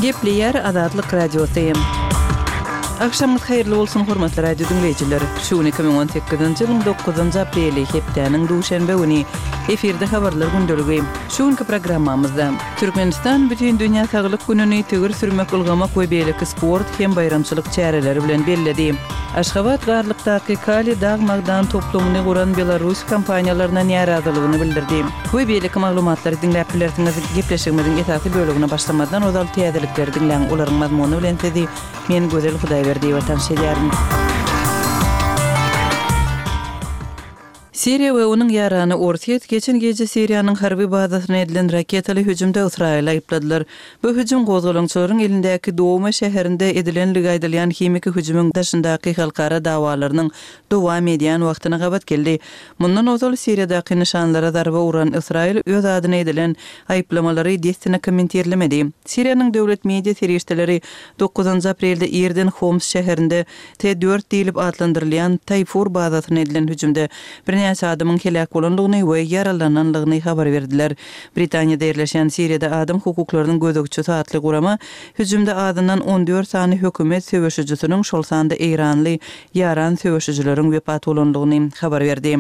Gepleýär Azatlyk Radiosy. Agşamyňyz haýyrly bolsun, hormatly radio diňleýjiler! Şu gün 2018-nji ýylyň dokuzynjy apreli, hepdäniň duşenbe güni. Efirde Habarlar gündeligi. Şu günki programmamyzda, Türkmenistan Bütindünýä saglyk gününi tigir sürmek, ylgamak we beýleki sport hem baýramçylyk çäreleri bilen belledi. Aşgabat Garlykdaky Kali dag-magdan toplumyny guran belarus kompaniýalaryna närazylygyny bildirdi. We beýleki maglumatlary diňläp bilersiňiz. Gepleşigimiziň esasy bölegine başlamazdan ozal täzelikleri diňläň, olaryň mazmuny bilen sizi men Gözel Hudaýberdiýewa tanyş edýärin. Siriýa we onuň ýarany Orsýet geçen gije Siriýanyň harby bazasyna edilen raketaly hüjümde Ysraýyly aýypladylar. Bu hüjüm gozgalaňçylaryň elindäki Douma şäherinde edilenligi aýdylýan himiki hüjümiň daşyndaky halkara dawalarynyň dowam edýän wagtyna gabat geldi. Mundan ozal Siriýadaky nyşanlara zarba uran Ysraýyl öz adyna edilen aýyplamalary dessine kommentirlemedi. Siriýanyň döwlet media serişdeleri dokuzynjy aprelde irden Homs şäherinde T dört diýlip atlandyrylýan Taýfur bazasyna edilen hüjümde birnäçe adamyň heläk bolandygyny we ýaralanandygyny habar berdiler. Britaniýada ýerleşýän Siriýada adam hukuklarynyň gözegçisi atly gurama hüjümde azyndan 14 sany hökümet söweşijisiniň, şol sanda eýranly ýaran söweşijileriň wepat bolandygyny habar berdi.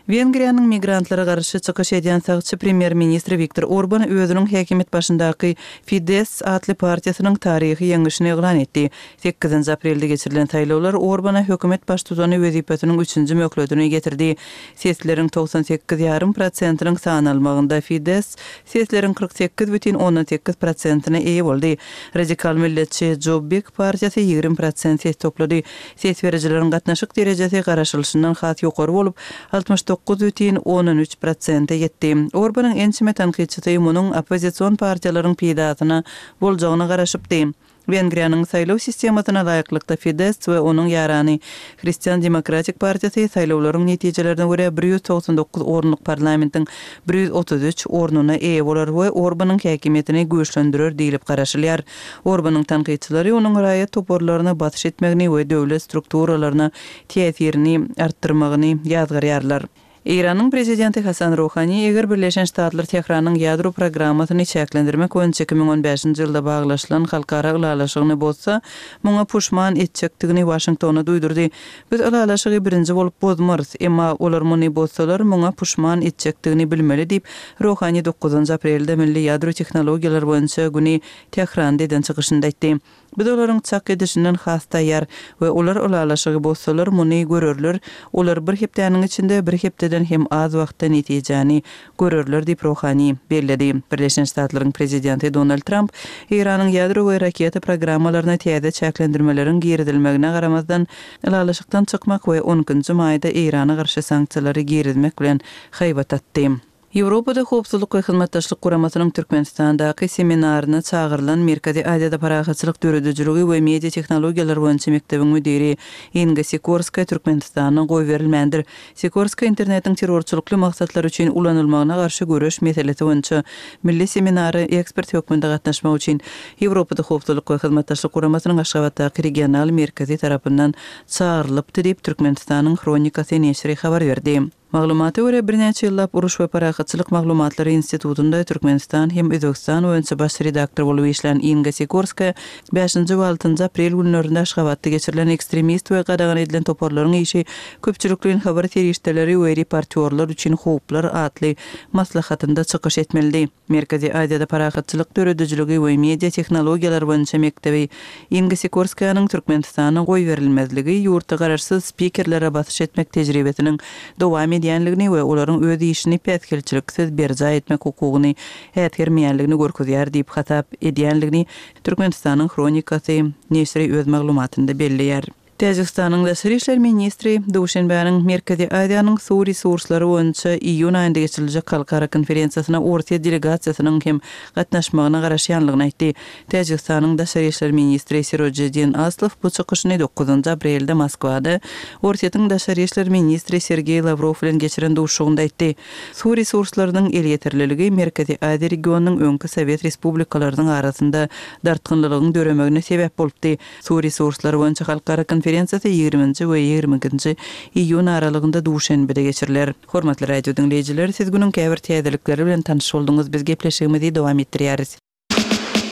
Wengriýanyň migrantlara garşy çykyş edýän sagçy premýer-ministri Wiktor Orban özüniň häkimiýet başyndaky Fidesz atly partiýasynyň taryhy ýeňişini yglan etdi. Sekizinji aprelde geçirilen saýlawlar Orbana hökümet baştutany wezipesiniň üçünji möhletini getirdi. Sesleriň 98 ýarym prosentiniň sanalmagynda Fidesz sesleriň 48 bütin ondan sekiz prosentine eýe boldy. Radikal milletçi Jobbik partiýasy 20 prosent ses toplady. Ses berijileriň gatnaşyk derejesi garaşylyşyndan has ýokary bolup, 69 bütin ondan üç prosente ýetdi. Orbanyň ençeme tankytçysy munuň oppozision partiýalaryň peýdasyna boljagyna garaşypdy. Wengriýanyň saýlaw sistemasyna laýyklykda Fidesz we onuň ýarany Hristian demokratik partiýasy saýlawlaryň netijelerine görä 199 orunlyk parlamentiň 133 ornuna eýe bolar we Orbanyň häkimiýetini güýçlendirer diýlip garaşylýar. Orbanyň tankytçylary onuň raýat toparlaryna basyş etmegini we döwlet strukturalaryna täsirini artdyrmagyny ýazgarýarlar. Eýranyň prezidenti Hasan Ruhani eger Birleşen Ştatlar Tähranyň ýadro programmasyny çäklendirmek boýunça 2015-nji ýylda baglaşylan halkara ylalaşygyny bozsa, muňa puşman etjekdigini Waşingtona duýdurdy. Biz ylalaşygy birinji bolup bozmarys, emma olar muny bozsalar, muňa puşman etjekdigini bilmeli diýip, Ruhani dokuzynjy aprelde Milli ýadro tehnologiýalar boýunça güni Tähranda eden çykyşynda aýtdy. Biz olaryň çak edişinden has taýýar we olar ylalaşygy bozsalar, muny görerler, olar bir hepdäniň içinde, bir hepdeden hem az wagtda netijäni görerler diýip, Ruhani belledi. Birleşen Ştatlaryň prezidenti Donald Tramp Eýranyň ýadro we raketa programmalaryna täze çäklendirmeleriň girizilmegine garamazdan, ylalaşykdan çykmak we on ikinji maýda Eýrana garşy sanksiýalary girizmek bilen haýbat atdy. Ýewropada Howpsuzlyk we Hyzmatdaşlyk Guramasynyň Türkmenistandaky seminaryna çagyrylan Merkezi Aziýada parahatçylyk döredijiligi we media tehnologiýalar boýunça mekdebiň müdiri Inga Sikorskaýa Türkmenistana goýberilmändir. Sikorskaýa internetiň terrorçylykly maksatlar üçin ulanylmagyna garşy göreş meselesi boýunça milli seminara ekspert hökmünde gatnaşmak üçin Ýewropada Howpsuzlyk we Hyzmatdaşlyk Guramasynyň Aşgabatdaky regional merkezi tarapyndan çagyrylypdy diýip, Türkmenistanyň Hronikasy neşiri habar berdi. Maglumata görä, birnäçe ýyllap Uruş we parahatçylyk maglumatlary institutynda Türkmenistan hem Özbegistan boýunça baş redaktor bolup işlän Inga Sikorskaýa bäşinji we altynjy aprel günlerinde Aşgabatda geçirilen Ekstremist we gadagan edilen toparlaryň işi, köpçülikleýin habar serişdeleri we reportýorlar üçin howplar atly maslahatynda çykyş etmelidi. Merkezi Aziýada parahatçylyk döredijiligi we media tehnologiýalar boýunça mekdebi Inga Sikorskaýanyň Türkmenistana goýberilmezligi ýurtda garaşsyz spikerlere basyş etmek tejribesiniň dowam edýänligini we olaryň öz işini päsgelçiliksiz berjaý etmek hukugyny äsgermeýänligini görkezýär diýip hasap edýänligini Türkmenistanyň Hronikasy neşiri öz maglumatynda belleýär. Täjigistanyň daşary işler ministri Duşenbäniň Merkezi Aziýanyň suw resurslary boýunça iýun aýynda geçiriljek halkara konferensiýasyna Orsýet delegasiýasynyň hem gatnaşmagyna garaşýanlygyny aýtdy. Täjigistanyň daşary işler ministri Sirojiddin Aslow bu çykyşyny dokuzynjy aprelde Moskwada Orsýetiň daşary işler ministri Sergeý Lawrow bilen geçiren duşuşygynda aýtdy. Suw resurslarynyň elýeterliligi Merkezi Aziýa regionynyň öňki sowet respublikalarynyň arasynda dartgynlylygyň döremegine sebäp bolupdy. Suw resurslary boýunça halkara konferensiýasy ýigriminji we 22 nji iýun aralygynda Duşenbede geçiriler. Hormatly radio diňleýjiler, siz günüň käbir täzelikleri bilen tanyş bolduňyz, biz gepleşigimizi dowam etdirýäris.